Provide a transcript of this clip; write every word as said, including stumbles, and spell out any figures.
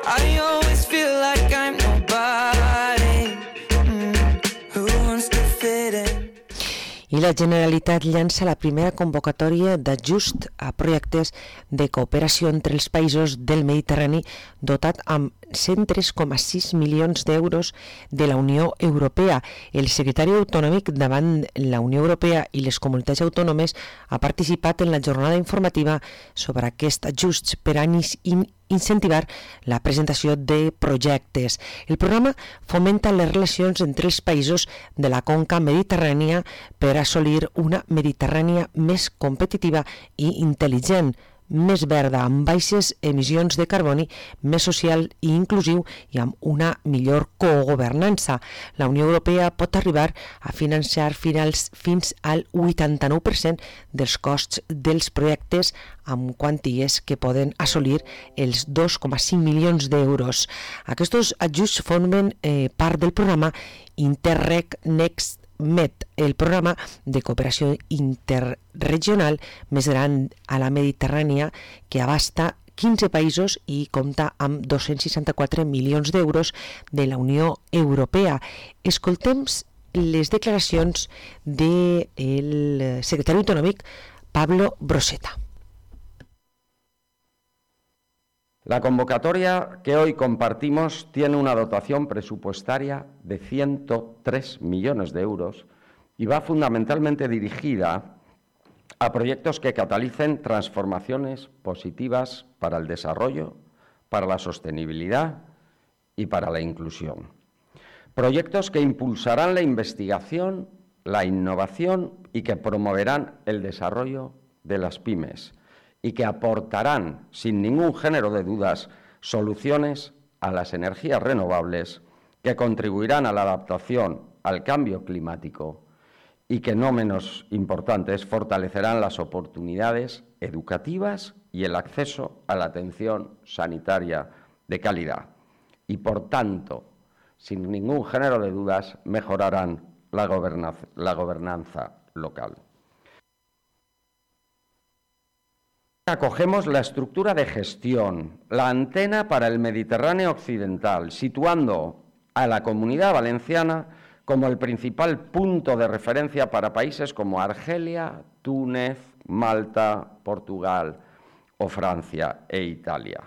I always feel like I'm nobody. Mm, who wants to fit in? I la Generalitat llança la primera convocatòria d'ajust a projectes de cooperació entre els països del Mediterrani dotat amb cent tres coma sis milions d'euros de la Unió Europea. El secretari autonòmic davant la Unió Europea i les comunitats autònomes ha participat en la jornada informativa sobre aquest ajust per a incentivar la presentació de projectes. El programa fomenta les relacions entre els països de la conca mediterrània per assolir una Mediterrània més competitiva i intel·ligent, més verda, amb baixes emissions de carboni, més social i inclusiu i amb una millor cogovernança. La Unió Europea pot arribar a financiar finals fins al vuitanta-nou per cent dels costs dels projectes amb quanties que poden assolir els dos coma cinc milions d'euros. Aquests ajuts formen eh, part del programa Interreg Next Med, el programa de cooperació interregional més gran a la Mediterrània que abasta quinze països i compta amb dos-cents seixanta-quatre milions d'euros de la Unió Europea. Escoltem les declaracions del secretari autonòmic Pablo Broseta. La convocatoria que hoy compartimos tiene una dotación presupuestaria de ciento tres millones de euros y va fundamentalmente dirigida a proyectos que catalicen transformaciones positivas para el desarrollo, para la sostenibilidad y para la inclusión. Proyectos que impulsarán la investigación, la innovación y que promoverán el desarrollo de las pymes, y que aportarán, sin ningún género de dudas, soluciones a las energías renovables que contribuirán a la adaptación al cambio climático y que, no menos importantes, fortalecerán las oportunidades educativas y el acceso a la atención sanitaria de calidad y, por tanto, sin ningún género de dudas, mejorarán la gobernanza, la gobernanza local. Acogemos la estructura de gestión, la antena para el Mediterráneo occidental, situando a la Comunidad Valenciana como el principal punto de referencia para países como Argelia, Túnez, Malta, Portugal o Francia e Italia.